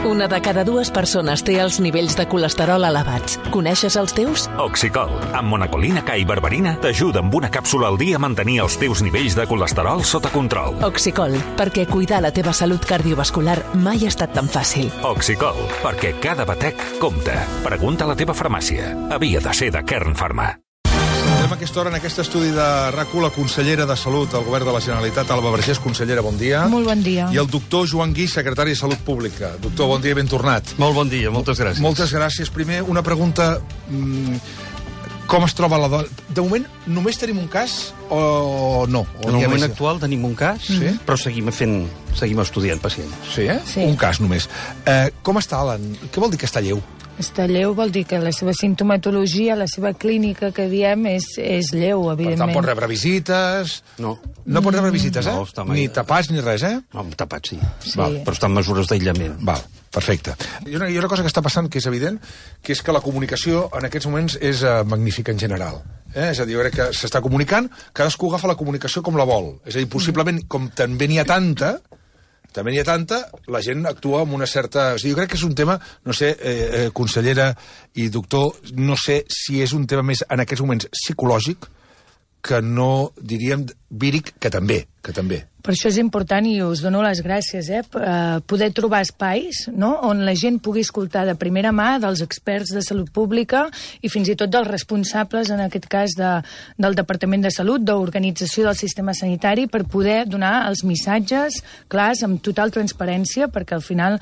Una de cada dues persones té els nivells de colesterol elevats. Coneixes els teus? Oxicol, amb monacolina K i berberina, t'ajuda amb una càpsula al dia a mantenir els teus nivells de colesterol sota control. Oxicol, perquè cuidar la teva salut cardiovascular mai ha estat tan fàcil. Oxicol, perquè cada batec compta. Pregunta a la teva farmàcia. Havia de ser de Kern Pharma. Saludem a aquesta hora en aquest estudi de RAC1 la consellera de Salut del Govern de la Generalitat, Alba Vergés. Consellera, bon dia. Molt bon dia. I el doctor Joan Guix, secretari de Salut Pública. Doctor, bon dia i ben tornat. Molt bon dia, moltes gràcies. Moltes gràcies. Primer, una pregunta... Com es troba la dona? De moment, només tenim un cas o no? En el moment actual tenim un cas, sí? Però seguim estudiant pacients. Sí, eh? Sí. Un cas només. Com està, Alan? Què vol dir que està lleu? Està lleu vol dir que la seva simptomatologia, la seva clínica, que diem, és lleu, Per evidentment. tant, pot rebre visites... No. No pot rebre visites, eh? No, està mai- Ni tapats ni res, eh? No, tapat sí. Sí. Però està en mesures d'aïllament. Val, perfecte. Hi ha una cosa que està passant que és evident, que és que la comunicació en aquests moments és magnífica en general. És a dir, jo crec que s'està comunicant, cadascú agafa la comunicació com la vol. És a dir, possiblement, com també n'hi ha tanta, la gent actua amb una certa... O sigui, jo crec que és un tema, no sé, consellera i doctor, no sé si és un tema més, en aquests moments, psicològic, que no, diríem, víric, que també. Per això és important, i us dono les gràcies, poder trobar espais, no?, on la gent pugui escoltar de primera mà dels experts de salut pública i fins i tot dels responsables, en aquest cas, del Departament de Salut, d'organització del sistema sanitari, per poder donar els missatges clars, amb total transparència, perquè al final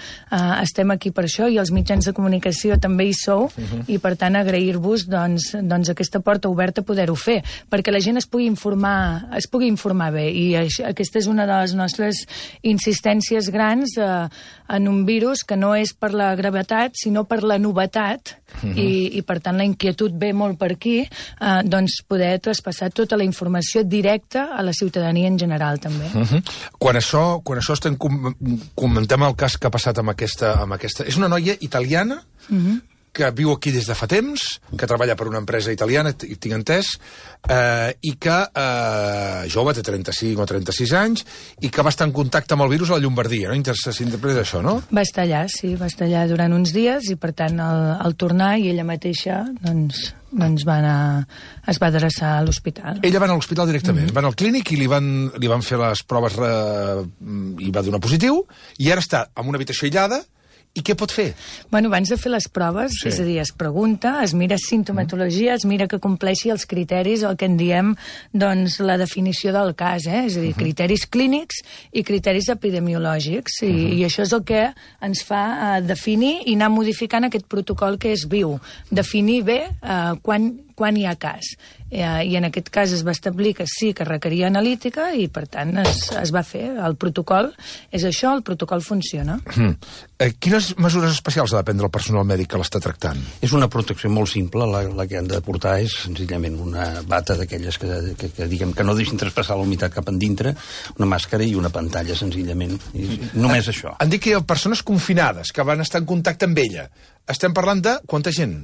estem aquí per això, i els mitjans de comunicació també hi sou, i per tant agrair-vos doncs, aquesta porta oberta a poder-ho fer, perquè la gent es pugui informar bé, i aquesta és una de les nostres insistències grans en un virus que no és per la gravetat, sinó per la novetat, i per tant la inquietud ve molt per aquí, doncs poder traspassar tota la informació directa a la ciutadania en general, també. Quan això comentem el cas que ha passat amb aquesta... És una noia italiana que viu aquí des de fa temps, que treballa per una empresa italiana, tinc entès, i que jove, té 35 o 36 anys, i que va estar en contacte amb el virus a la Llombardia, no? S'interpreta això, no? Va estar allà, sí, va estar allà durant uns dies, i per tant al tornar, i ella mateixa doncs es va adreçar a l'hospital. Ella va anar a l'hospital directament, va anar al clínic i li van fer les proves i va donar positiu, i ara està en una habitació aïllada. I què pot fer? Bueno, abans de fer les proves, és a dir, es pregunta, es mira sintomatologia, es mira que compleixi els criteris, el que en diem, doncs, la definició del cas, és a dir, criteris clínics i criteris epidemiològics, i això és el que ens fa definir i anar modificant aquest protocol que és viu. Definir bé quan hi ha cas. I en aquest cas es va establir que sí que requeria analítica i, per tant, es va fer. El protocol és això, el protocol funciona. Quines mesures especials ha de prendre el personal mèdic que l'està tractant? És una protecció molt simple, la que han de portar és senzillament una bata d'aquelles que diguem que no deixin traspassar la humitat cap endintre, una màscara i una pantalla, senzillament. Només això. Han dit que hi ha persones confinades que van estar en contacte amb ella. Estem parlant de quanta gent?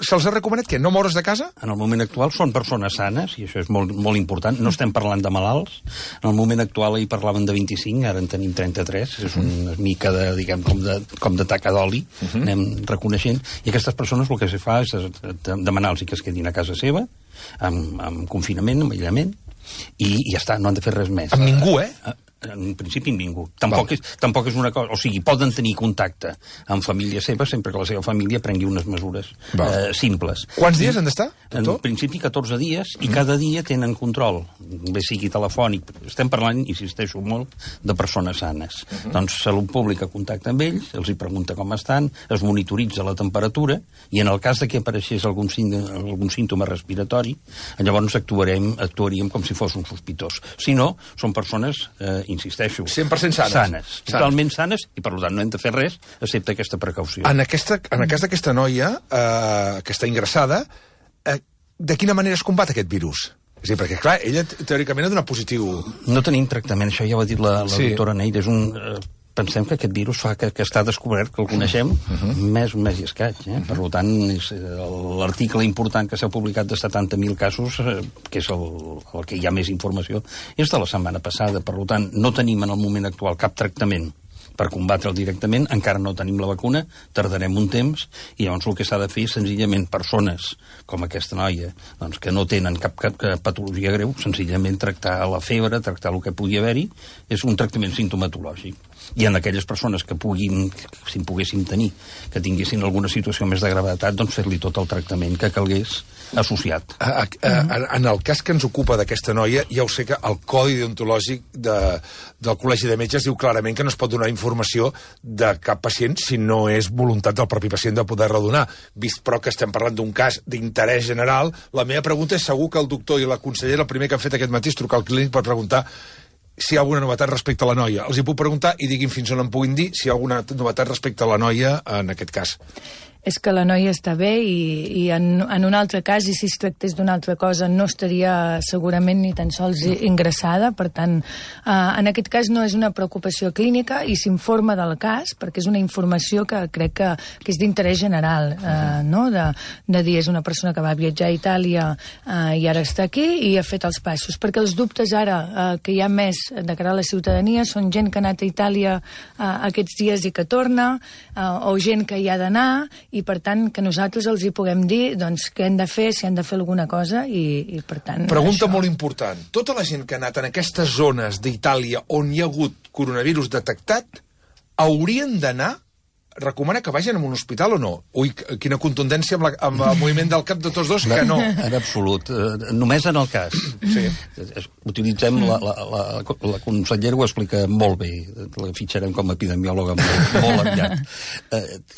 Se'ls ha recomanat què? No moure's de casa? En el moment actual són persones sanes, i això és molt, molt important. No estem parlant de malalts. En el moment actual hi parlaven de 25, ara en tenim 33. És una mica de, diguem, com de taca d'oli. Anem reconeixent. I aquestes persones el que se fa és demanar-los que es quedin a casa seva, amb confinament, amb aïllament, i ja està, no han de fer res més. Amb ningú, En principi ningú. Tampoc és una cosa... O sigui, poden tenir contacte amb família seva sempre que la seva família prengui unes mesures simples. Quants dies han d'estar? En principi 14 dies, i cada dia tenen control, bé sigui telefònic. Estem parlant, insisteixo molt, de persones sanes. Doncs Salut Pública contacta amb ells, els hi pregunta com estan, es monitoritza la temperatura, i en el cas de que apareixés algun símptoma respiratori, llavors actuaríem com si fos un sospitós. Si no, són persones insisteixo, 100% sanes. Totalment sanes, i per tant no hem de fer res excepte aquesta precaució. En el cas d'aquesta noia que està ingressada, de quina manera es combat aquest virus? És a dir, perquè, clar, ella teòricament ha donat positiu. No tenim tractament, això ja ho ha dit la doctora Neida, pensem que aquest virus fa que està descobert, que el coneixem, un mes i escaig. Per tant, l'article important que s'ha publicat de 70.000 casos, que és el que hi ha més informació, és de la setmana passada. Per tant, no tenim en el moment actual cap tractament per combatre'l directament. Encara no tenim la vacuna, tardarem un temps, i llavors el que s'ha de fer és senzillament persones com aquesta noia, doncs, que no tenen cap patologia greu, senzillament tractar la febre, tractar el que pugui haver-hi, és un tractament simptomatològic. I en aquelles persones que si en poguéssim tenir, que tinguessin alguna situació més de gravetat, doncs fer-li tot el tractament que calgués associat. En el cas que ens ocupa d'aquesta noia, ja ho sé que el codi deontològic del Col·legi de Metges diu clarament que no es pot donar informació de cap pacient si no és voluntat del propi pacient de poder-la donar. Vist però que estem parlant d'un cas d'interès general, la meva pregunta és segur que el doctor i la consellera el primer que han fet aquest matí és trucar al clínic per preguntar si hi ha alguna novetat respecte a la noia. Els hi puc preguntar i diguin fins on em puguin dir si hi ha alguna novetat respecte a la noia en aquest cas. És que la noia està bé i en un altre cas, i si es tractés d'una altra cosa, no estaria segurament ni tan sols ingressada. Per tant, en aquest cas no és una preocupació clínica i s'informa del cas, perquè és una informació que crec que és d'interès general, no? De dir, és una persona que va viatjar a Itàlia i ara està aquí i ha fet els passos. Perquè els dubtes ara que hi ha més de cara a la ciutadania són gent que ha anat a Itàlia aquests dies i que torna, o gent que hi ha d'anar, i per tant que nosaltres els hi puguem dir doncs què hem de fer, si han de fer alguna cosa i per tant... Pregunta molt important. Tota la gent que ha anat en aquestes zones d'Itàlia on hi ha hagut coronavirus detectat haurien d'anar? Recomana que vagin a un hospital o no? Ui, quina contundència amb el moviment del cap de tots dos, que no. En absolut. Només en el cas. Sí. Utilitzem, la consellera ho explica molt bé, la fitxarem com a epidemiòloga molt aviat.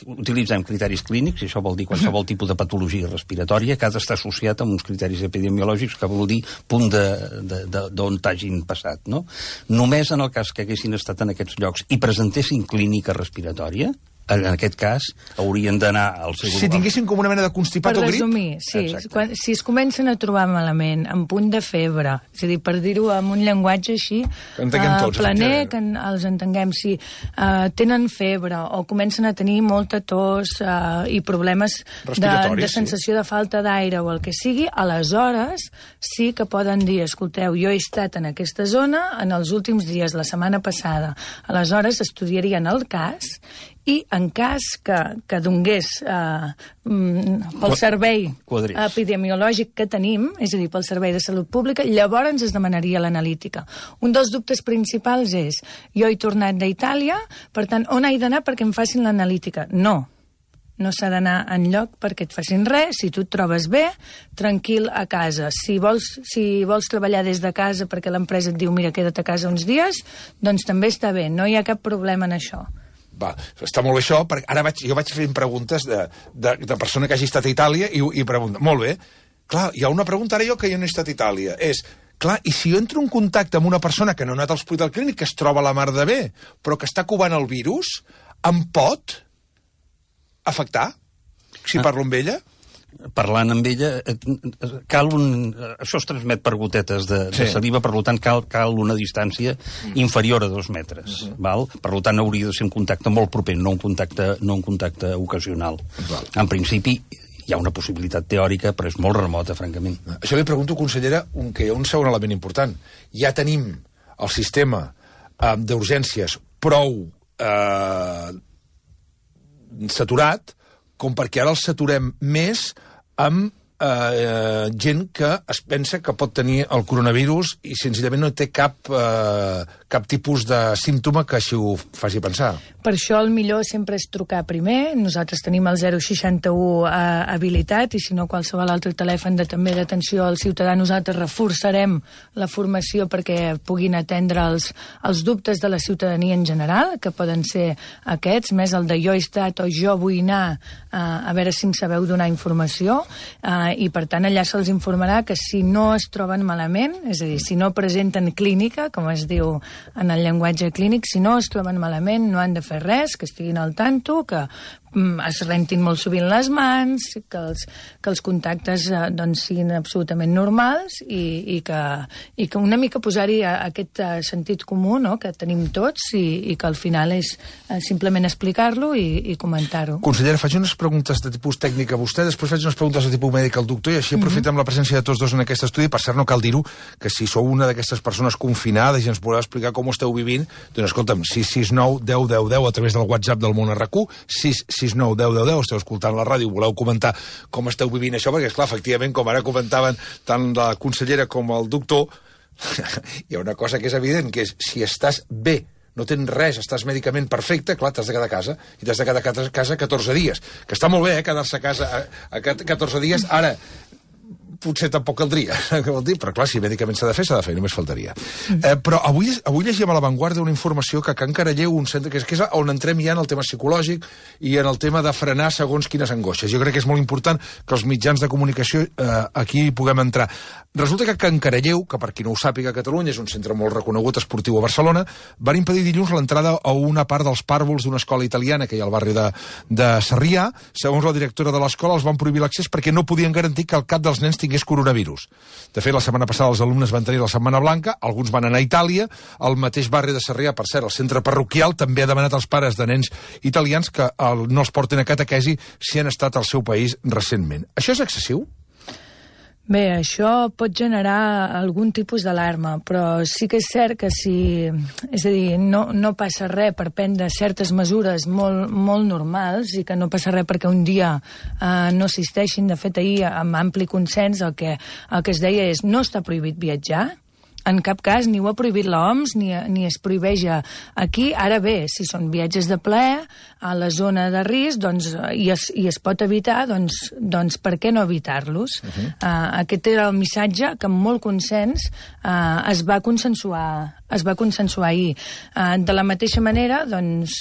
Utilitzem criteris clínics, i això vol dir qualsevol tipus de patologia respiratòria que ha d'estar associat amb uns criteris epidemiològics que vol dir punt d'on t'hagin passat, no? Només en el cas que haguessin estat en aquests llocs i presentessin clínica respiratòria, en aquest cas, haurien d'anar al seu... Si tinguessin com una mena de constipat o grip? Per resumir, sí. Si es comencen a trobar malament, amb punt de febre, és a dir, per dir-ho amb un llenguatge així, planer, que els entenguem, si tenen febre o comencen a tenir molta tos i problemes de sensació de falta d'aire o el que sigui, aleshores sí que poden dir, escolteu, jo he estat en aquesta zona en els últims dies, la setmana passada. Aleshores estudiarien el cas i en cas que donés pel servei epidemiològic que tenim, és a dir, pel servei de salut pública, llavors es demanaria l'analítica. Un dels dubtes principals és, jo he tornat d'Itàlia, per tant, on he d'anar perquè em facin l'analítica? No s'ha d'anar enlloc perquè et facin res, si tu et trobes bé, tranquil a casa. Si vols treballar des de casa perquè l'empresa et diu, mira, queda't a casa uns dies, doncs també està bé, no hi ha cap problema en això. Va, està molt bé això, perquè ara jo vaig fent preguntes de persona que hagi estat a Itàlia i pregunta, molt bé, clar, hi ha una pregunta ara jo que jo no he estat a Itàlia, és, clar, i si jo entro en contacte amb una persona que no ha anat a l'hospital clínic, que es troba a la mar de bé, però que està covant el virus, em pot afectar si parlo amb ella? Parlant amb ella, això es transmet per gotetes de saliva, per tant cal una distància inferior a 2 metres. Val? Per tant hauria de ser un contacte molt proper, no un contacte ocasional. En principi hi ha una possibilitat teòrica, però és molt remota, francament. Això li pregunto, consellera, que hi ha un segon element important. Ja tenim el sistema d'urgències prou saturat com perquè ara el saturem més amb gent que es pensa que pot tenir el coronavirus i senzillament no té cap tipus de símptoma que així ho faci pensar. Per això el millor sempre és trucar primer. Nosaltres tenim el 061 habilitat i si no qualsevol altre telèfon també d'atenció al ciutadà nosaltres reforçarem la formació perquè puguin atendre els dubtes de la ciutadania en general, que poden ser aquests, més el de jo he estat o jo vull anar a veure si em sabeu donar informació i per tant allà se'ls informarà que si no es troben malament, és a dir, si no presenten clínica, com es diu en el llenguatge clínic, si no es troben malament no han de fer res, que estiguin al tanto, que es rentin molt sovint les mans, que els contactes doncs, siguin absolutament normals i que una mica posar-hi aquest sentit comú, no?, que tenim tots i que al final és simplement explicar-lo i comentar-ho. Consellera, faig unes preguntes de tipus tècnic a vostè, després faig unes preguntes de tipus mèdic explica el doctor, i així aprofitem la presència de tots dos en aquest estudi. Per cert, no cal dir-ho, que si sou una d'aquestes persones confinades i ens voleu explicar com ho esteu vivint, doncs escolta'm, 669 10 10 10 a través del WhatsApp del Món RQ, 669 10 10 10, esteu escoltant la ràdio, voleu comentar com esteu vivint això, perquè, esclar, efectivament, com ara comentaven tant la consellera com el doctor, hi ha una cosa que és evident, que és, si estàs bé, no tens res, estàs mèdicament perfecte, clar, t'has de quedar a casa, i t'has de quedar a casa 14 dies. Que està molt bé, quedar-se a casa a 14 dies. Ara, potser tampoc caldria, però clar, si mèdicament s'ha de fer, només faltaria. Però avui llegíem a l'avantguarda una informació que a Can Caralleu, un centre que és on entrem ja en el tema psicològic i en el tema de frenar segons quines angoixes. Jo crec que és molt important que els mitjans de comunicació aquí puguem entrar. Resulta que Can Caralleu, que per qui no ho sàpiga, a Catalunya és un centre molt reconegut esportiu a Barcelona, van impedir dilluns l'entrada a una part dels pàrvuls d'una escola italiana que hi ha al barri de Sarrià. Segons la directora de l'escola, els van prohibir l'accés perquè no podien garantir que el cap dels nens tingués coronavirus. De fet, la setmana passada els alumnes van tenir la Setmana Blanca, alguns van anar a Itàlia, al mateix barri de Sarrià, per cert, el centre parroquial també ha demanat als pares de nens italians que no els porten a catequesi si han estat al seu país recentment. Això és excessiu? Bé, això pot generar algun tipus d'alarma, però sí que és cert que si... És a dir, no passa res per prendre certes mesures molt normals i que no passa res perquè un dia no assisteixin. De fet, ahir, amb ampli consens, el que es deia és no està prohibit viatjar, en cap cas, ni ho ha prohibit l'OMS, ni es prohibeix aquí. Ara bé, si són viatges de plaer, a la zona de risc, doncs, i es pot evitar, doncs per què no evitar-los? Aquest era el missatge que amb molt consens es va consensuar ahir. De la mateixa manera, doncs,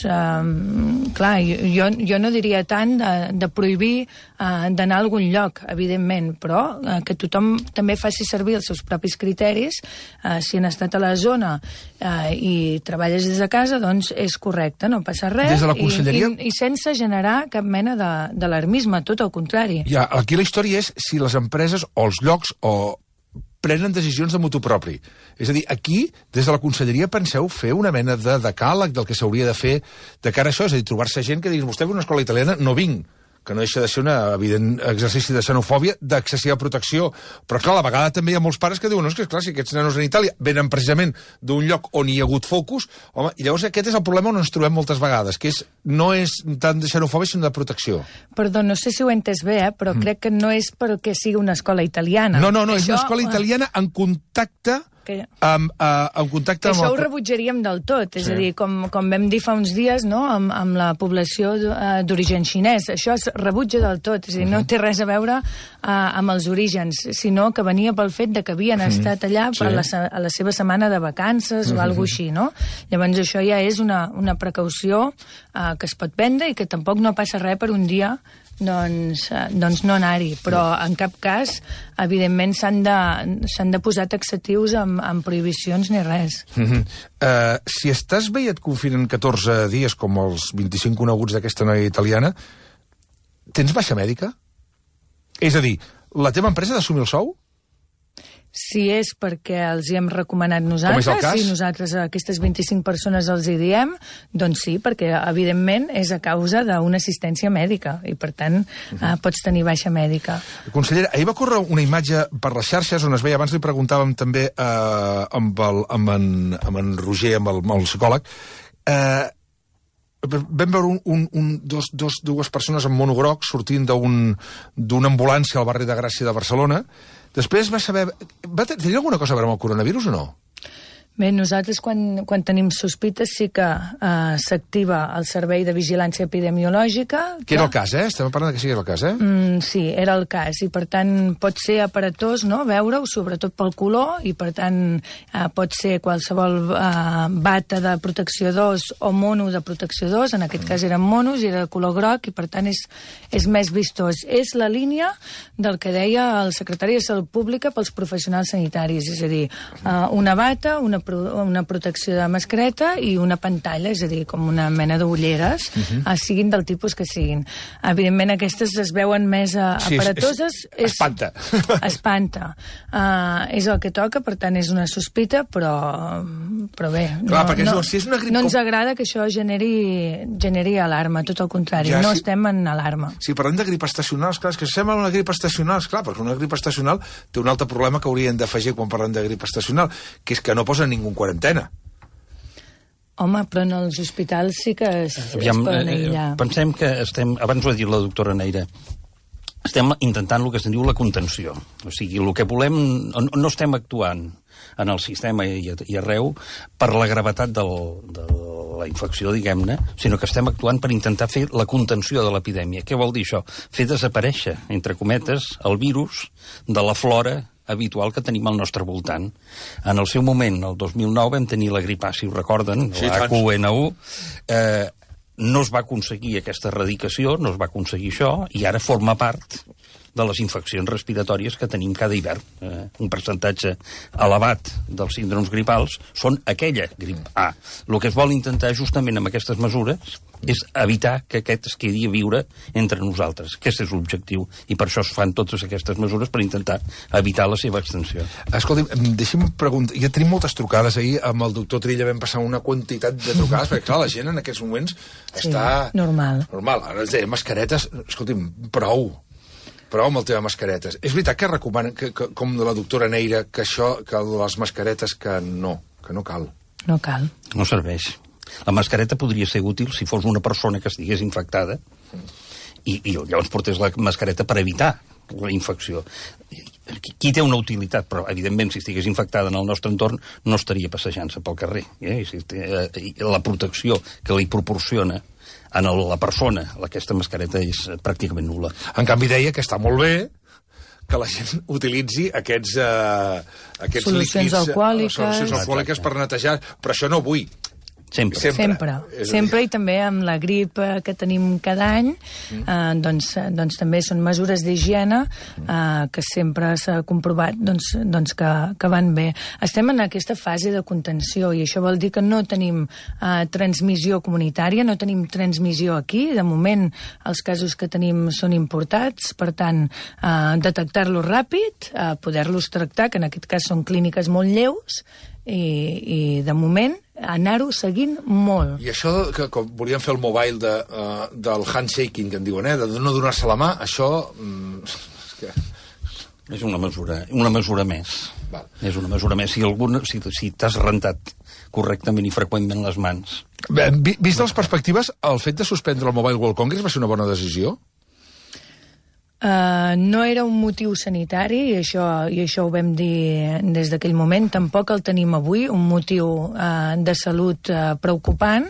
clar, jo no diria tant de prohibir d'anar a algun lloc, evidentment, però que tothom també faci servir els seus propis criteris. Si han estat a la zona i treballes des de casa, doncs és correcte, no passa res. Des de la conselleria... I sense generar cap mena d'alarmisme, tot el contrari. Ja, aquí la història és si les empreses o els llocs prenen decisions de motu propi. És a dir, aquí, des de la conselleria, penseu fer una mena de decàleg del que s'hauria de fer de cara a això, és a dir, trobar-se gent que diguis, vostè ve a una escola italiana, no vinc, que no deixa de ser un evident exercici de xenofòbia, d'excessiva protecció. Però, clar, a la vegada també hi ha molts pares que diuen, no, és que, clar, si aquests nanos en Itàlia venen precisament d'un lloc on hi ha hagut focus, home, i llavors aquest és el problema on ens trobem moltes vegades, que no és tant de xenofòbia, sinó de protecció. Perdó, no sé si ho he entès bé, però crec que no és perquè sigui una escola italiana. No, és una escola italiana en contacte... en contacte això ho rebutjaríem del tot, és a dir, com vam dir fa uns dies, no?, amb la població d'origen xinès, això es rebutja del tot, és a dir, no té res a veure amb els orígens, sinó que venia pel fet de que havien estat allà a la seva setmana de vacances o alguna cosa així, no? Llavors això ja és una precaució que es pot prendre i que tampoc no passa res per un dia doncs no anar-hi, però en cap cas evidentment s'han de posar taxatius amb prohibicions ni res. Si estàs bé i et confinen 14 dies com els 25 coneguts d'aquesta noia italiana, tens baixa mèdica? És a dir, la teva empresa ha d'assumir el sou? Si és perquè els hi hem recomanat nosaltres, com és el cas? Si nosaltres a aquestes 25 persones els hi diem, doncs sí, perquè evidentment és a causa d'una assistència mèdica i per tant pots tenir baixa mèdica. Consellera, ahir va córrer una imatge per les xarxes on es veia, abans li preguntàvem també amb en Roger, amb el psicòleg, vam veure dues persones amb mono groc sortint d'una ambulància al barri de Gràcia de Barcelona. Després va saber... Tenia alguna cosa a veure amb el coronavirus o no? Bé, nosaltres quan tenim sospites sí que s'activa el Servei de Vigilància Epidemiològica. Que era el cas, Estem parlant que sigui el cas, Sí, era el cas, i per tant pot ser aparatós, no?, veure-ho, sobretot pel color, i per tant pot ser qualsevol bata de protecció 2 o mono de protecció 2, en aquest cas eren monos i era de color groc, i per tant és més vistós. És la línia del que deia el secretari de Salut Pública pels professionals sanitaris, és a dir, una bata, una protecció de mascareta i una pantalla, és a dir, com una mena d'ulleres, siguin del tipus que siguin. Evidentment, aquestes es veuen més aparatoses. Espanta. Espanta. És el que toca, per tant, és una sospita, però bé. Clar, perquè si és una grip... No ens agrada que això generi alarma, tot el contrari. No estem en alarma. Si parlem de grip estacionals, clar, és que sembla una grip estacional, clar, perquè una grip estacional té un altre problema que haurien d'afegir quan parlem de grip estacional, que és que no posa ningú en quarantena. Home, però en els hospitals sí que es poden aïllar. Pensem que abans ho ha dit la doctora Neira, estem intentant el que se'n diu la contenció. O sigui, el que volem, no estem actuant en el sistema i arreu per la gravetat de la infecció, diguem-ne, sinó que estem actuant per intentar fer la contenció de l'epidèmia. Què vol dir això? Fer desaparèixer, entre cometes, el virus de la flora habitual que tenim al nostre voltant. En el seu moment, el 2009, vam tenir la grip A, si ho recorden, la H1N1, no es va aconseguir aquesta erradicació, no es va aconseguir això, i ara forma part de les infeccions respiratòries que tenim cada hivern. Un percentatge elevat dels síndromes gripals són aquella grip A. El que es vol intentar justament amb aquestes mesures és evitar que aquest es quedi a viure entre nosaltres. Aquest és l'objectiu, i per això es fan totes aquestes mesures per intentar evitar la seva extensió. Escolti'm, deixi'm preguntar, ja tenim moltes trucades ahir, amb el doctor Trilla vam passar una quantitat de trucades, perquè clar, la gent en aquests moments està... Normal. Ara ens deia, mascaretes, escolti'm, prou amb el tema mascaretes. És veritat que recomanen, com de la doctora Neira, que les mascaretes que no cal. No cal. No serveix. La mascareta podria ser útil si fos una persona que estigués infectada i llavors portés la mascareta per evitar la infecció. Qui té una utilitat, però evidentment si estigués infectada en el nostre entorn no estaria passejant-se pel carrer. La protecció que li proporciona a la persona aquesta mascareta és pràcticament nul·la. En canvi deia que està molt bé que la gent utilitzi aquests solucions alcohòliques per netejar, però això no avui. Sempre, i també amb la grip que tenim cada any, doncs també són mesures d'higiene que sempre s'ha comprovat que van bé. Estem en aquesta fase de contenció i això vol dir que no tenim transmissió comunitària, no tenim transmissió aquí. De moment, els casos que tenim són importats, per tant, detectar-los ràpid, poder-los tractar, que en aquest cas són clíniques molt lleus, i de moment anar-ho seguint molt. I això que volíem fer el mobile del handshaking, que en diuen, de no donar-se la mà, això... És una mesura més. Val. És una mesura més. Si t'has rentat correctament i freqüentment les mans. Bé, vist les perspectives, el fet de suspendre el Mobile World Congress va ser una bona decisió? No era un motiu sanitari, i això ho vam dir des d'aquell moment. Tampoc el tenim avui, un motiu de salut preocupant,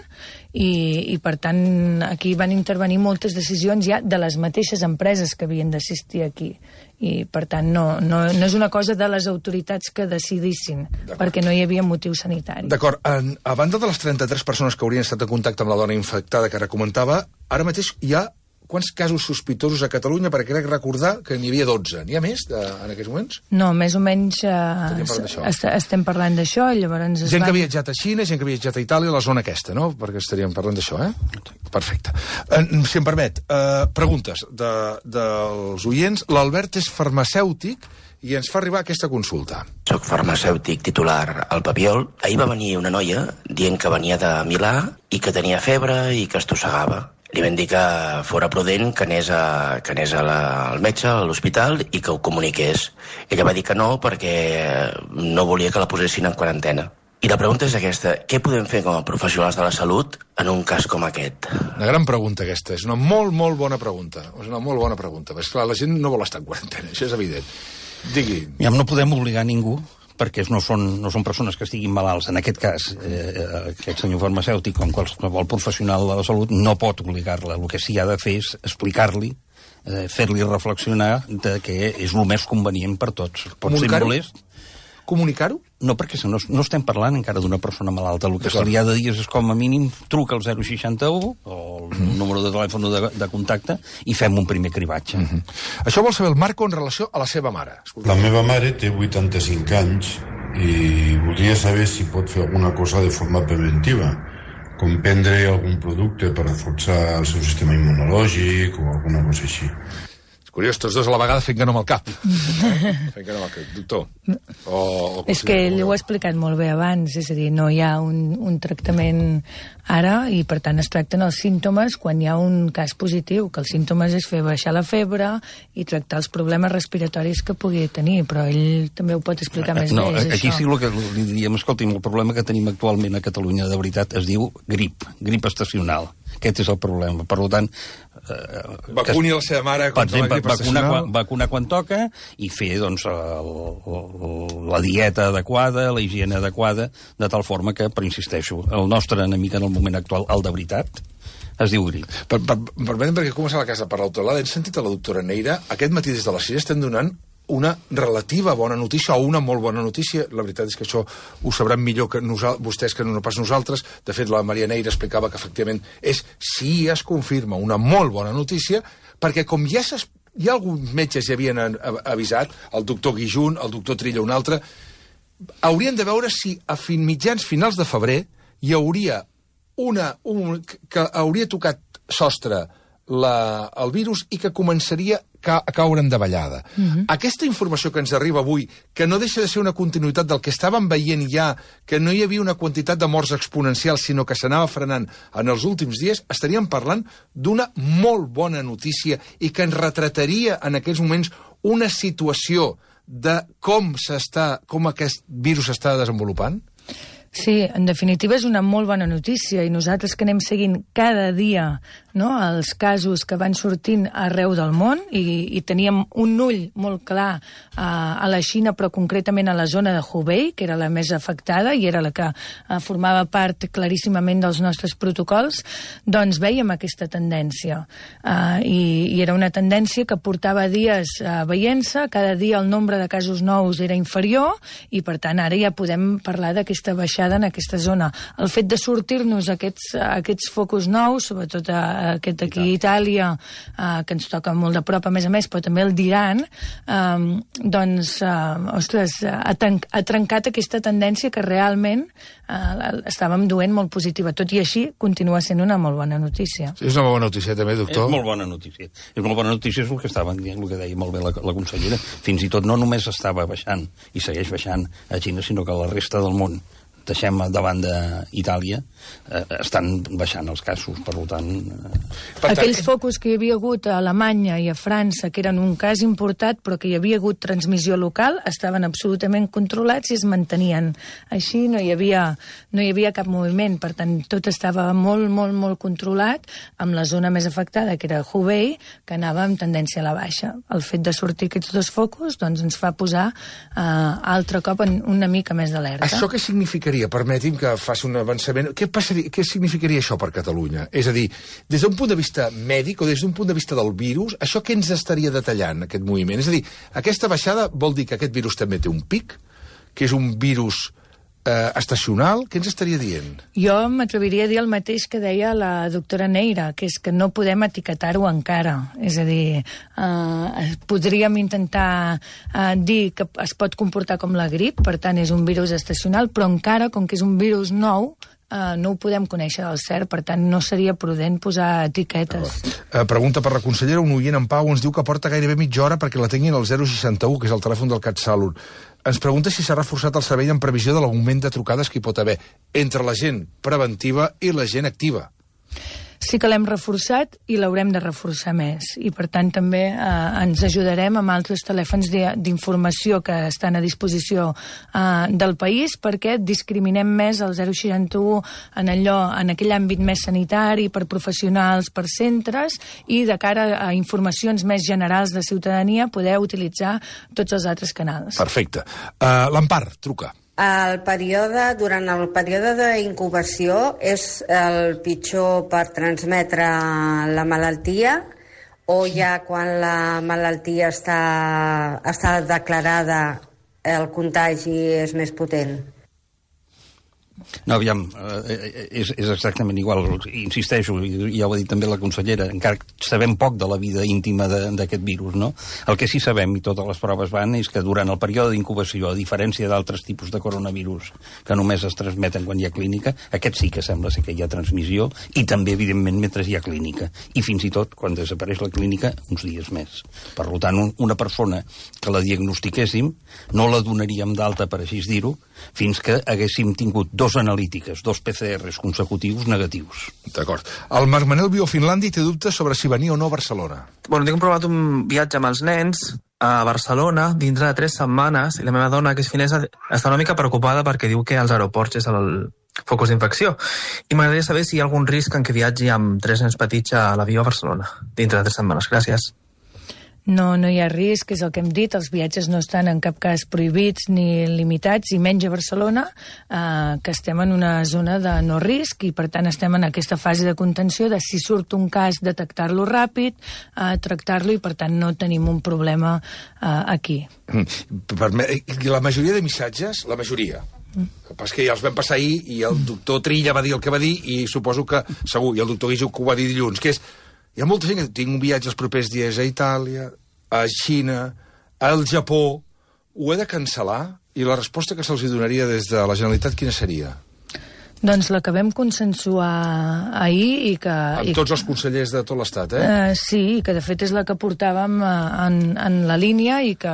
i per tant aquí van intervenir moltes decisions ja de les mateixes empreses que havien d'assistir aquí. I per tant no és una cosa de les autoritats que decidissin, perquè no hi havia motiu sanitari. D'acord. A banda de les 33 persones que haurien estat en contacte amb la dona infectada que ara comentava, ara mateix hi ha quants casos sospitosos a Catalunya? Perquè crec recordar que n'hi havia 12. N'hi ha més en aquests moments? No, més o menys estem parlant d'això. Gent que ha viatjat a Xina, gent que ha viatjat a Itàlia, la zona aquesta, no? Perquè estaríem parlant d'això, Perfecte. Si em permet, preguntes dels oients. L'Albert és farmacèutic i ens fa arribar aquesta consulta. Soc farmacèutic titular al Papiol. Ahir va venir una noia dient que venia de Milà i que tenia febre i que estossegava. Li vam dir que fora prudent, que anés al metge, a l'hospital, i que ho comuniqués. Ella va dir que no, perquè no volia que la posessin en quarantena. I la pregunta és aquesta: què podem fer com a professionals de la salut en un cas com aquest? Una gran pregunta, aquesta. És una molt, molt bona pregunta. És una molt bona pregunta. Perquè, clar, la gent no vol estar en quarantena, això és evident. Digui. No podem obligar ningú, perquè no són persones que estiguin malalts. En aquest cas, aquest senyor farmacèutic, com qualsevol professional de la salut, no pot obligar-la. El que sí ha de fer és explicar-li, fer-li reflexionar de que és el més convenient per tots. Pot ser molest. Comunicar-ho? No, perquè no estem parlant encara d'una persona malalta. El que se li ha de dir és, com a mínim, truca al 061, o el número de telèfon de contacte, i fem un primer cribatge. Això vol saber el Marco en relació a la seva mare. La meva mare té 85 anys i voldria saber si pot fer alguna cosa de forma preventiva, com prendre algun producte per reforçar el seu sistema immunològic o alguna cosa així. Curiós, tots dos a la vegada fent que no amb el cap. Fent que no amb el cap. Doctor. És que ell ho ha explicat molt bé abans, és a dir, no hi ha un tractament ara i, per tant, es tracten els símptomes quan hi ha un cas positiu, que els símptomes és fer baixar la febre i tractar els problemes respiratoris que pugui tenir, però ell també ho pot explicar més bé, és aquí això. sí el que li diríem, escolti'm, el problema que tenim actualment a Catalunya, de veritat, es diu grip estacional. Aquest és el problema. Per tant... vacuni a la seva mare contra la grip estacional. Vacunar quan toca i fer doncs, la dieta adequada, la higiene adequada, de tal forma que, però insisteixo, el nostre enemic en el moment actual, el de veritat, es diu grip. Permetem, perquè comença la casa per l'autor. Hem sentit a la doctora Neira, aquest matí des de les 6 estem donant una relativa bona notícia o una molt bona notícia. La veritat és que això ho sabran millor que vostès que no pas nosaltres. De fet, la Maria Neira explicava que efectivament si es confirma una molt bona notícia, perquè com ja alguns metges ja havien avisat, el doctor Guijun, el doctor Trilla, un altre, haurien de veure si a finals de febrer hi hauria que hauria tocat sostre el virus i que començaria a caure en davallada. Aquesta informació que ens arriba avui, que no deixa de ser una continuïtat del que estàvem veient ja, que no hi havia una quantitat de morts exponencial, sinó que s'anava frenant en els últims dies, estaríem parlant d'una molt bona notícia i que ens retrataria en aquells moments una situació de com aquest virus s'està desenvolupant? Sí, en definitiva és una molt bona notícia i nosaltres que anem seguint cada dia els casos que van sortint arreu del món i teníem un ull molt clar a la Xina, però concretament a la zona de Hubei, que era la més afectada i era la que formava part claríssimament dels nostres protocols, doncs veiem aquesta tendència. I era una tendència que portava dies veient-se, cada dia el nombre de casos nous era inferior i, per tant, ara ja podem parlar d'aquesta baixada en aquesta zona. El fet de sortir-nos aquests focus nous, sobretot aquest aquí a Itàlia, que ens toca molt de prop, a més, però també el d'Iran, doncs, ostres, ha trencat aquesta tendència que realment estàvem duent molt positiva. Tot i així, continua sent una molt bona notícia. És una bona notícia, també, doctor? És molt bona notícia. És molt bona notícia, és el que estàvem dient, el que deia molt bé la consellera. Fins i tot no només estava baixant, i segueix baixant a Xina, sinó que a la resta del món, deixem davant d'Itàlia, estan baixant els casos, per tant... Aquells focus que hi havia hagut a Alemanya i a França, que eren un cas importat, però que hi havia hagut transmissió local, estaven absolutament controlats i es mantenien. Així no hi havia cap moviment, per tant, tot estava molt, molt, molt controlat, amb la zona més afectada, que era Hubei, que anava amb tendència a la baixa. El fet de sortir aquests dos focus doncs, ens fa posar altre cop en una mica més d'alerta. Això què significaria? Permeti'm que faci un avançament. Què significaria això per Catalunya? És a dir, des d'un punt de vista mèdic o des d'un punt de vista del virus, això què ens estaria detallant, aquest moviment? És a dir, aquesta baixada vol dir que aquest virus també té un pic, que és un virus estacional? Què ens estaria dient? Jo m'atreviria a dir el mateix que deia la doctora Neira, que és que no podem etiquetar-ho encara. És a dir, podríem intentar dir que es pot comportar com la grip, per tant és un virus estacional, però encara, com que és un virus nou, no ho podem conèixer del cert, per tant no seria prudent posar etiquetes. Pregunta per la consellera, un oient en Pau ens diu que porta gairebé mitja hora perquè la tinguin al 061, que és el telèfon del CatSalut. Ens pregunta si s'ha reforçat el servei en previsió de l'augment de trucades que hi pot haver entre la gent preventiva i la gent activa. Sí que l'hem reforçat i l'haurem de reforçar més. I, per tant, també ens ajudarem amb altres telèfons d'informació que estan a disposició del país perquè discriminem més el 061 en aquell àmbit més sanitari, per professionals, per centres, i de cara a informacions més generals de ciutadania poder utilitzar tots els altres canals. Perfecte. L'Empar, truca. Durant el període d'incubació és el pitjor per transmetre la malaltia o ja quan la malaltia està declarada el contagi és més potent? No, aviam, és exactament igual. Insisteixo, ja ho ha dit també la consellera, encara sabem poc de la vida íntima d'aquest virus, no? El que sí sabem, i totes les proves van, és que durant el període d'incubació, a diferència d'altres tipus de coronavirus que només es transmeten quan hi ha clínica, aquest sí que sembla ser que hi ha transmissió, i també, evidentment, mentre hi ha clínica. I fins i tot, quan desapareix la clínica, uns dies més. Per tant, una persona que la diagnostiquéssim, no la donaríem d'alta, per així dir-ho, fins que haguéssim tingut 2 analítiques, 2 PCRs consecutius negatius. D'acord. El Marc Manel viu a Finlàndia i té dubtes sobre si venir o no a Barcelona. Bueno, tinc provat un viatge amb els nens a Barcelona dintre de 3 setmanes i la meva dona, que és finesa, està una mica preocupada perquè diu que als aeroports és el focus d'infecció. I m'agradaria saber si hi ha algun risc en què viatgi amb 3 nens petits a l'avió a Barcelona dintre de 3 setmanes. Gràcies. No hi ha risc, és el que hem dit, els viatges no estan en cap cas prohibits ni limitats, i menys a Barcelona, que estem en una zona de no risc i per tant estem en aquesta fase de contenció de si surt un cas detectar-lo ràpid, tractar-lo i per tant no tenim un problema aquí. La majoria de missatges, la majoria, el que passa que ja els vam passar ahir i el doctor Trilla va dir el que va dir i suposo que segur, i el doctor Guijo que ho va dir dilluns, que és hi ha molta gent que tinc un viatge els propers dies a Itàlia, a Xina, al Japó, ho he de cancel·lar? I la resposta que se'ls donaria des de la Generalitat quina seria? Doncs la que vam consensuar ahir i que... Amb tots els consellers de tot l'Estat, sí, i que de fet és la que portàvem en la línia i que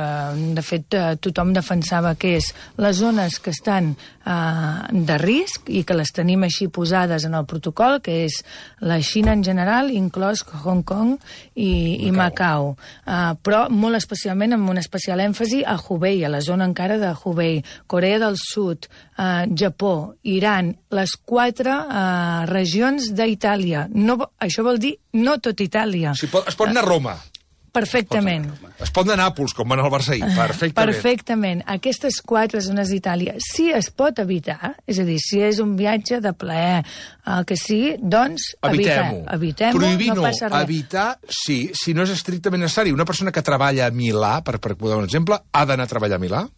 de fet tothom defensava que és les zones que estan de risc i que les tenim així posades en el protocol, que és la Xina en general, inclòs Hong Kong i Macau. Però molt especialment, amb un especial èmfasi, a Hubei, a la zona encara de Hubei, Corea del Sud, Japó, Iran, les 4 regions d'Itàlia. Això vol dir no tot Itàlia. Es pot anar a Roma. Perfectament. Es pot anar a Nàpols, com van al Barça ahir. Perfectament. Perfectament. Aquestes 4 zones d'Itàlia, si es pot evitar, és a dir, si és un viatge de plaer, que sigui, doncs evitem-ho. Prohibir no passa res. Evitar, sí, si no és estrictament necessari. Una persona que treballa a Milà, per posar un exemple, ha d'anar a treballar a Milà?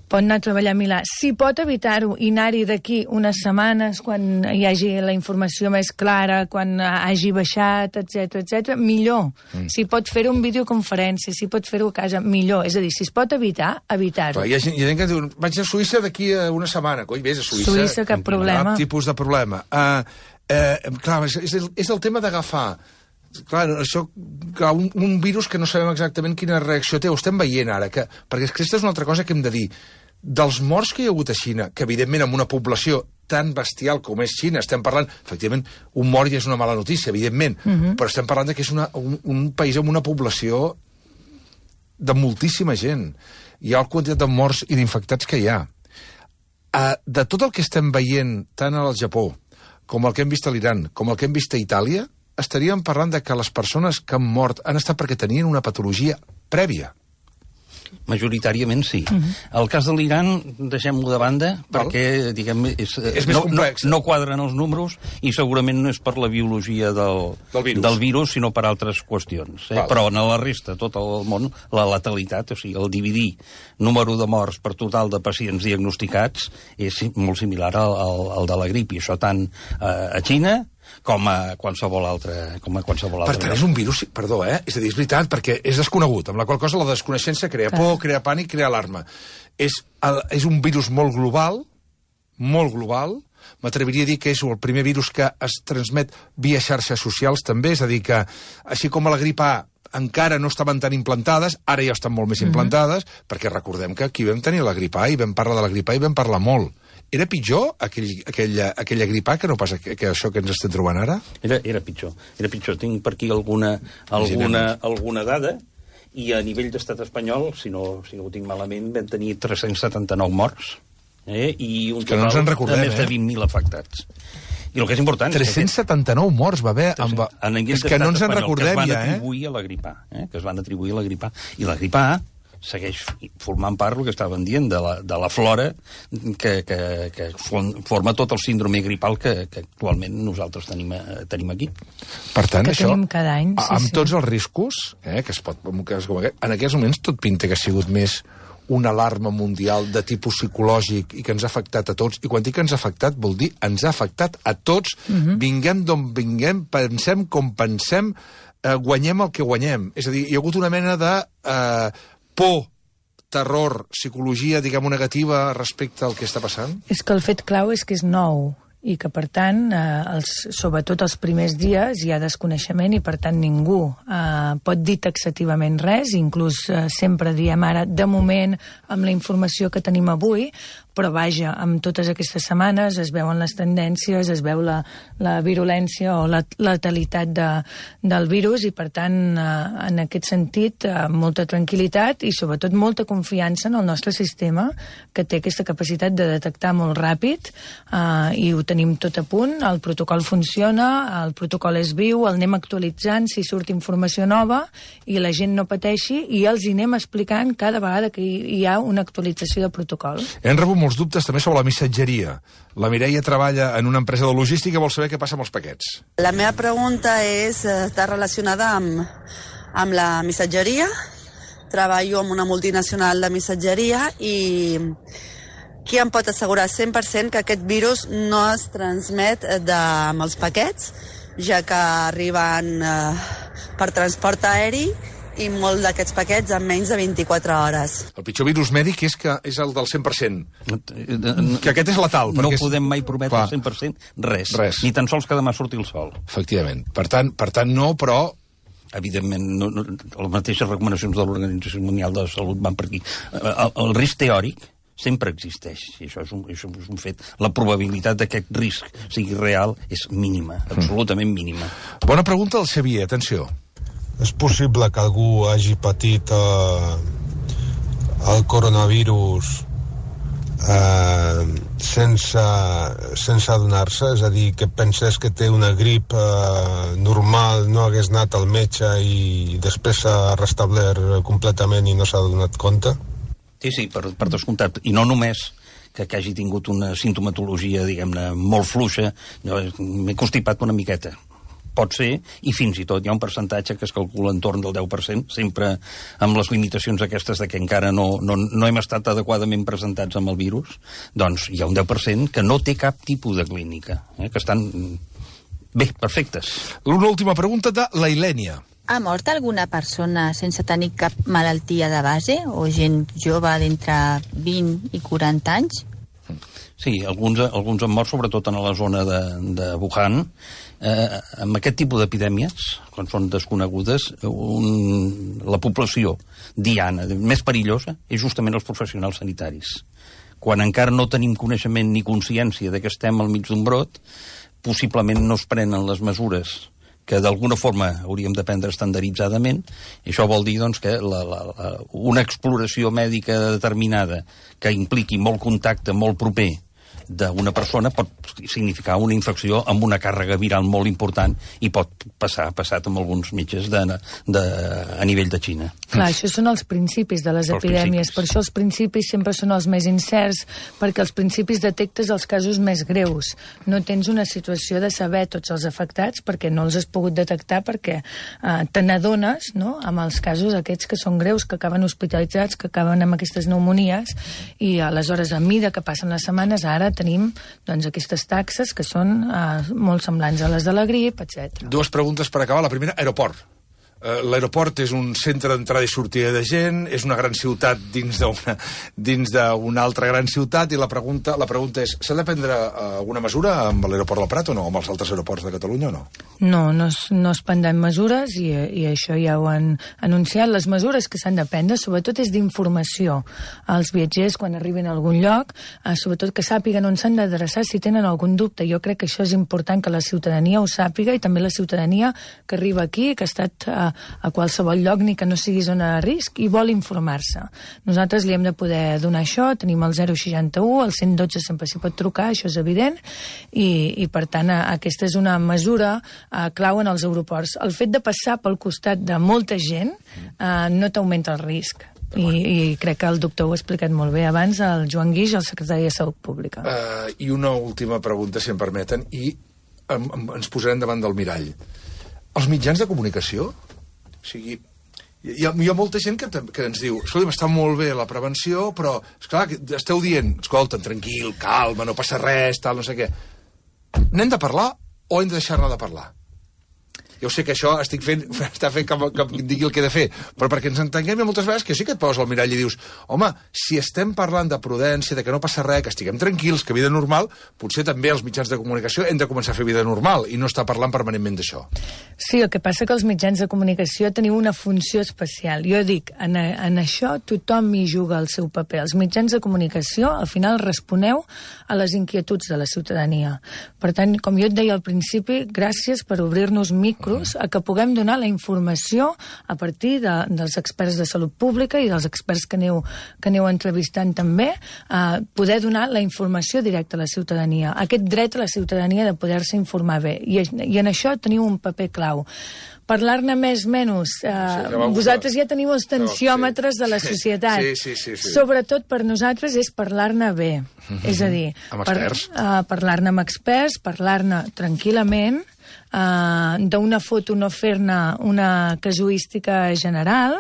Pot anar a treballar a Milà. Si pot evitar-ho i anar-hi d'aquí unes setmanes, quan hi hagi la informació més clara, quan hagi baixat, etc, millor. Si pot fer-ho en videoconferència, si pot fer-ho a casa, millor. És a dir, si es pot evitar, evitar-ho. Hi ha gent que diu, vaig a Suïssa d'aquí a una setmana. Coi, vés a Suïssa. Suïssa, cap problema. Cap tipus de problema. Clar, és el tema d'agafar... Clar, un virus que no sabem exactament quina reacció té, ho estem veient ara, perquè aquesta és una altra cosa que hem de dir. Dels morts que hi ha hagut a Xina, que evidentment amb una població tan bestial com és Xina, estem parlant, efectivament, un mort ja és una mala notícia, evidentment, però estem parlant que és un país amb una població de moltíssima gent. Hi ha la quantitat de morts i d'infectats que hi ha. De tot el que estem veient, tant al Japó, com el que hem vist a l'Iran, com el que hem vist a Itàlia, estaríem parlant de que les persones que han mort han estat perquè tenien una patologia prèvia. Majoritàriament sí. El cas de l'Iran, deixem-lo de banda, perquè, diguem, és més complex. No quadren els números i segurament no és per la biologia del virus, sinó per altres qüestions. Però en la resta, tot el món, la letalitat, o sigui, el dividir número de morts per total de pacients diagnosticats és molt similar al de la grip, i això tant a Xina com a qualsevol altre. Per tant, és un virus, perdó, és a dir, és veritat, perquè és desconegut, amb la qual cosa la desconeixença crea por, crea pànic, crea alarma. És un virus molt global, m'atreviria a dir que és el primer virus que es transmet via xarxes socials, també, és a dir, que així com a la grip A encara no estaven tan implantades, ara ja estan molt més implantades, perquè recordem que aquí vam tenir la grip A i vam parlar de la grip A i vam parlar molt. Era pitjor aquella grip A que no passa que això que ens estem trobant ara? Era pitjor. Tinc per aquí alguna dada, i a nivell d'estat espanyol, si no ho tinc malament, vam tenir 379 morts, i un total de més de 20.000 afectats. I el que és important... 379 morts va haver... És que no ens en recordem ja, que es van atribuir a la grip A. I la grip A segueix formant part del que estàvem dient de la flora que forma tot el síndrome gripal que actualment nosaltres tenim aquí. Per tant, que això, tenim cada any, amb tots els riscos, que es pot... En aquests moments tot pinta que ha sigut més una alarma mundial de tipus psicològic i que ens ha afectat a tots, i quan dic que ens ha afectat vol dir ens ha afectat a tots, vinguem d'on vinguem, pensem com pensem, guanyem el que guanyem. És a dir, hi ha hagut una mena de por, terror, psicologia, diguem-ho, negativa respecte al que està passant? És que el fet clau és que és nou i que, per tant, sobretot els primers dies hi ha desconeixement i, per tant, ningú pot dir taxativament res, inclús sempre diem ara, de moment, amb la informació que tenim avui, però vaja, amb totes aquestes setmanes es veuen les tendències, es veu la virulència o la letalitat del virus i, per tant, en aquest sentit, molta tranquil·litat i, sobretot, molta confiança en el nostre sistema, que té aquesta capacitat de detectar molt ràpid i ho tenim tot a punt, el protocol funciona, el protocol és viu, el anem actualitzant si surt informació nova i la gent no pateixi i els hi anem explicant cada vegada que hi ha una actualització de protocol. Hem rebut molts dubtes també sobre la missatgeria. La Mireia treballa en una empresa de logística i vol saber què passa amb els paquets. La meva pregunta està relacionada amb la missatgeria. Treballo amb una multinacional de missatgeria i qui em pot assegurar 100% que aquest virus no es transmet amb els paquets, ja que arriben per transport aeri i molt d'aquests paquets en menys de 24 hores. El pitjor virus mèdic és que és el del 100%. Que aquest és letal. No podem mai prometre el 100% res. Ni tan sols que demà surti el sol. Efectivament. Per tant no, però... Evidentment, les mateixes recomanacions de l'Organització Mundial de la Salut van per aquí. El risc teòric sempre existeix, i això és un fet. La probabilitat d'aquest risc sigui real és mínima, absolutament mínima. Bona pregunta al Xavier, atenció. És possible que algú hagi patit el coronavirus sense adonar-se? És a dir, que pensés que té una grip normal, no hagués anat al metge i després s'ha restablert completament i no s'ha donat compte? Sí, per descomptat. I no només que hagi tingut una sintomatologia, diguem-ne, molt fluixa. Jo m'he constipat una miqueta. Pot ser, i fins i tot hi ha un percentatge que es calcula entorn del 10%, sempre amb les limitacions aquestes de que encara no hem estat adequadament presentats amb el virus, doncs hi ha un 10% que no té cap tipus de clínica, que estan bé, perfectes. Una última pregunta de la Ilènia. Ha mort alguna persona sense tenir cap malaltia de base o gent jove d'entre 20 i 40 anys? Sí, alguns han mort, sobretot en la zona de Wuhan. Amb aquest tipus d'epidèmies, quan són desconegudes, la població diana, més perillosa, és justament els professionals sanitaris. Quan encara no tenim coneixement ni consciència de que estem al mig d'un brot, possiblement no es prenen les mesures que d'alguna forma hauríem de prendre estandarditzadament. Això vol dir doncs, que una exploració mèdica determinada que impliqui molt contacte, molt proper, d'una persona pot significar una infecció amb una càrrega viral molt important i pot passar, ha passat amb alguns metges a nivell de Xina. Clar, això són els principis de les epidèmies, per això els principis sempre són els més incerts, perquè els principis detectes els casos més greus. No tens una situació de saber tots els afectats perquè no els has pogut detectar, perquè te n'adones, no?, amb els casos aquests que són greus, que acaben hospitalitzats, que acaben amb aquestes pneumonies, i aleshores, a mida que passen les setmanes, ara tenim doncs, aquestes taxes que són molt semblants a les de la grip, etc. Dues preguntes per acabar. La primera, aeroport. L'aeroport és un centre d'entrada i sortida de gent, és una gran ciutat dins d'una altra gran ciutat, i la pregunta és, s'ha de prendre alguna mesura amb l'aeroport del Prat o no, amb els altres aeroports de Catalunya o no? No es prendran mesures i això ja ho han anunciat. Les mesures que s'han de prendre, sobretot, és d'informació als viatgers quan arriben a algun lloc, sobretot que sàpiguen on s'han d'adreçar si tenen algun dubte. Jo crec que això és important que la ciutadania ho sàpiga, i també la ciutadania que arriba aquí, que ha estat a qualsevol lloc, ni que no sigui zona de risc, i vol informar-se. Nosaltres li hem de poder donar això, tenim el 061, el 112 sempre s'hi pot trucar, això és evident, i per tant aquesta és una mesura clau en els aeroports. El fet de passar pel costat de molta gent no t'augmenta el risc. I crec que el doctor ho ha explicat molt bé abans, el Joan Guix, el secretari de Salut Pública. I una última pregunta, si em permeten, i ens posarem davant del mirall. Els mitjans de comunicació, o sigui, Hi ha molta gent que ens diu, escolta, està molt bé la prevenció, però, esclar, esteu dient, escolta, tranquil, calma, no passa res, tal, no sé què. N'hem de parlar o hem de deixar-ne de parlar? Jo sé que això està fent que em digui el que he de fer, però perquè ens entenguem moltes vegades que sí que et poses al mirall i dius, home, si estem parlant de prudència, de que no passa res, que estiguem tranquils, que vida normal, potser també els mitjans de comunicació hem de començar a fer vida normal i no estar parlant permanentment d'això. Sí, el que passa que els mitjans de comunicació teniu una funció especial. Jo dic, en això tothom hi juga el seu paper. Els mitjans de comunicació, al final, responeu a les inquietuds de la ciutadania. Per tant, com jo et deia al principi, gràcies per obrir-nos micros a que puguem donar la informació a partir dels experts de salut pública i dels experts que aneu entrevistant també, poder donar la informació directa a la ciutadania. Aquest dret a la ciutadania de poder-se informar bé. I en això teniu un paper clau. Parlar-ne més menys. Vosaltres ja teniu els tensiòmetres de la societat. Sí. Sobretot per nosaltres és parlar-ne bé. És a dir, parlar-ne amb experts, parlar-ne tranquil·lament, d'una foto no fer-ne una casuística general,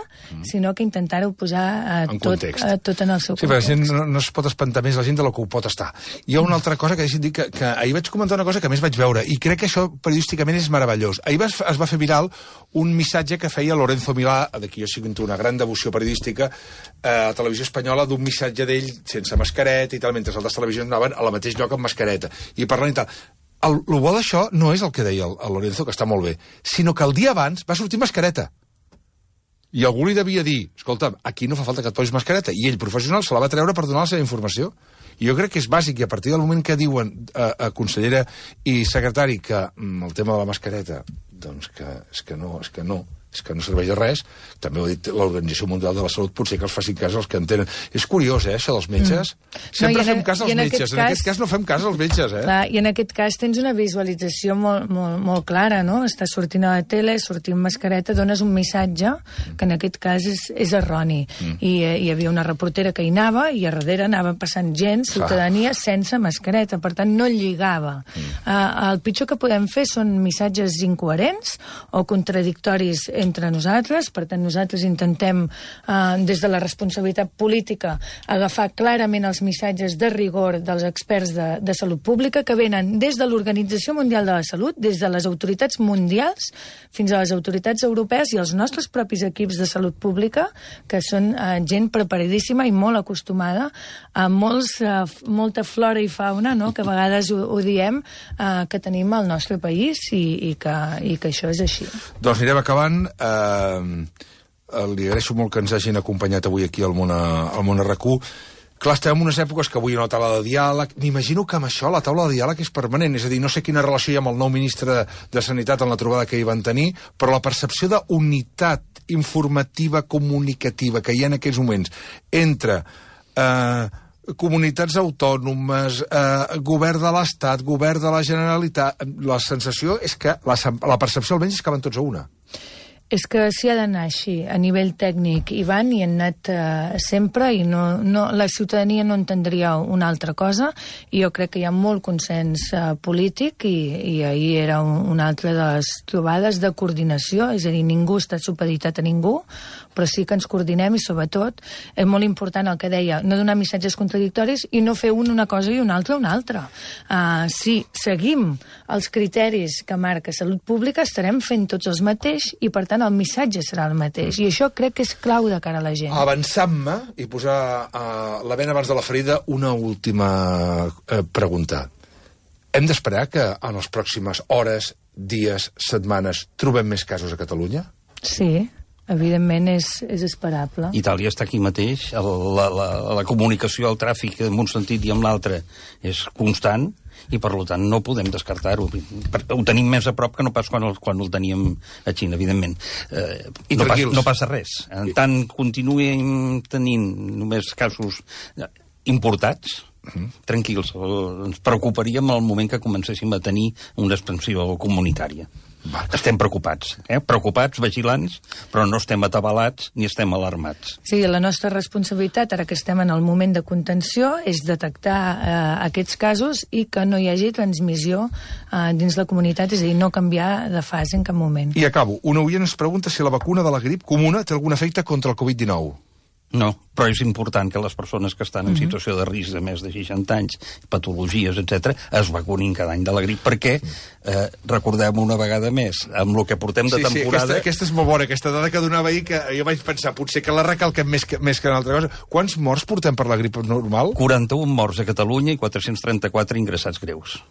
sinó que intentar-ho posar tot en el seu context. Sí, però la gent no es pot espantar més la gent de lo que ho pot estar. Hi ha una altra cosa que deixi'm dir que ahir vaig comentar una cosa que més vaig veure, i crec que això periodísticament és meravellós. Ahir es va fer viral un missatge que feia Lorenzo Milà, d'aquí jo sento una gran devoció periodística, a Televisió Espanyola, d'un missatge d'ell sense mascareta i tal, mentre altres televisions anaven al mateix lloc amb mascareta, i parlant i tal. El bo d'això no és el que deia el Lorenzo, que està molt bé, sinó que el dia abans va sortir mascareta. I algú li devia dir, escolta, aquí no fa falta que et posis mascareta, i ell, professional, se la va treure per donar la seva informació. I jo crec que és bàsic, i a partir del moment que diuen a consellera i secretari que el tema de la mascareta, doncs que no serveix de res, també ho ha dit l'Organització Mundial de la Salut, potser que els facin cas els que entenen. És curiós, això dels metges. Sempre fem cas als metges, en aquest cas no fem cas als metges, Clar, i en aquest cas tens una visualització molt clara, no? Estàs sortint a la tele, sortint mascareta, dones un missatge que en aquest cas és erroni. I hi havia una reportera que hi anava, i a darrere anava passant gent, ciutadania, sense mascareta, per tant no lligava. El pitjor que podem fer són missatges incoherents o contradictoris entre nosaltres, per tant nosaltres intentem des de la responsabilitat política agafar clarament els missatges de rigor dels experts de salut pública que venen des de l'Organització Mundial de la Salut, des de les autoritats mundials fins a les autoritats europees i els nostres propis equips de salut pública, que són gent preparadíssima i molt acostumada a molta flora i fauna, no?, que a vegades ho diem, que tenim al nostre país i que això és així. Doncs anirem acabant. Li agraeixo molt que ens hagin acompanyat avui aquí al Món RQ. Clar, estem en unes èpoques que avui hi ha una taula de diàleg. M'imagino que amb això la taula de diàleg és permanent, és a dir, no sé quina relació hi ha amb el nou ministre de Sanitat en la trobada que hi van tenir, però la percepció d'unitat informativa, comunicativa que hi ha en aquests moments entre comunitats autònomes, govern de l'Estat, govern de la Generalitat, la sensació és que, la percepció almenys és que van tots a una. És que s'hi ha d'anar així, a nivell tècnic. Hi van i han anat sempre i la ciutadania no entendria una altra cosa, i jo crec que hi ha molt consens polític i ahir era una altra de les trobades de coordinació, és a dir, ningú està supeditat a ningú, però sí que ens coordinem i sobretot és molt important el que deia, no donar missatges contradictoris i no fer una cosa i una altra. Si seguim els criteris que marca Salut Pública estarem fent tots els mateixos i per tant el missatge serà el mateix. I això crec que és clau de cara a la gent. Avançant-me i posar la bena abans de la ferida, una última pregunta. Hem d'esperar que en les pròximes hores, dies, setmanes, trobem més casos a Catalunya? Sí, evidentment és esperable. Itàlia està aquí mateix, la comunicació, el tràfic en un sentit i en l'altre és constant, i per tant no podem descartar-ho. Ho tenim més a prop que no pas quan el teníem a Xina, evidentment. I no passa res. En tant continuem tenint només casos importats, tranquils, ens preocuparíem al moment que comencéssim a tenir una expansió comunitària. Estem preocupats, preocupats, vigilants, però no estem atabalats ni estem alarmats. Sí, la nostra responsabilitat, ara que estem en el moment de contenció, és detectar aquests casos i que no hi hagi transmissió dins la comunitat, és a dir, no canviar de fase en cap moment. I acabo. Un oient ens pregunta si la vacuna de la grip comuna té algun efecte contra el Covid-19. No, però és important que les persones que estan en situació de risc de més de 60 anys, patologies, etc., es vacunin cada any de la grip, perquè, recordem una vegada més, amb el que portem de temporada... Sí, aquesta és molt bona, aquesta dada que donava ahir, que jo vaig pensar, potser que la recalquem més que una altra cosa. Quants morts portem per la grip normal? 41 morts a Catalunya i 434 ingressats greus.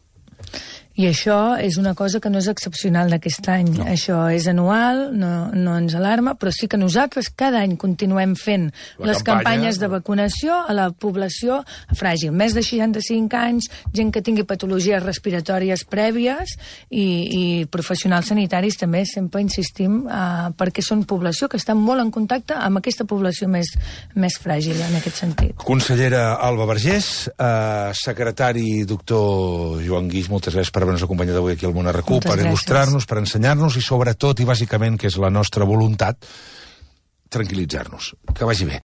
I això és una cosa que no és excepcional d'aquest any. No. Això és anual, no ens alarma, però sí que nosaltres cada any continuem fent les campanyes de vacunació a la població fràgil. Més de 65 anys, gent que tingui patologies respiratòries prèvies i professionals sanitaris també sempre insistim perquè són població que està molt en contacte amb aquesta població més fràgil en aquest sentit. Consellera Alba Vergés, secretari doctor Joan Guix, moltes gràcies per haver-nos acompanyat avui aquí al Món RQ, per il·lustrar-nos, per ensenyar-nos i sobretot i bàsicament, que és la nostra voluntat, tranquil·litzar-nos. Que vagi bé.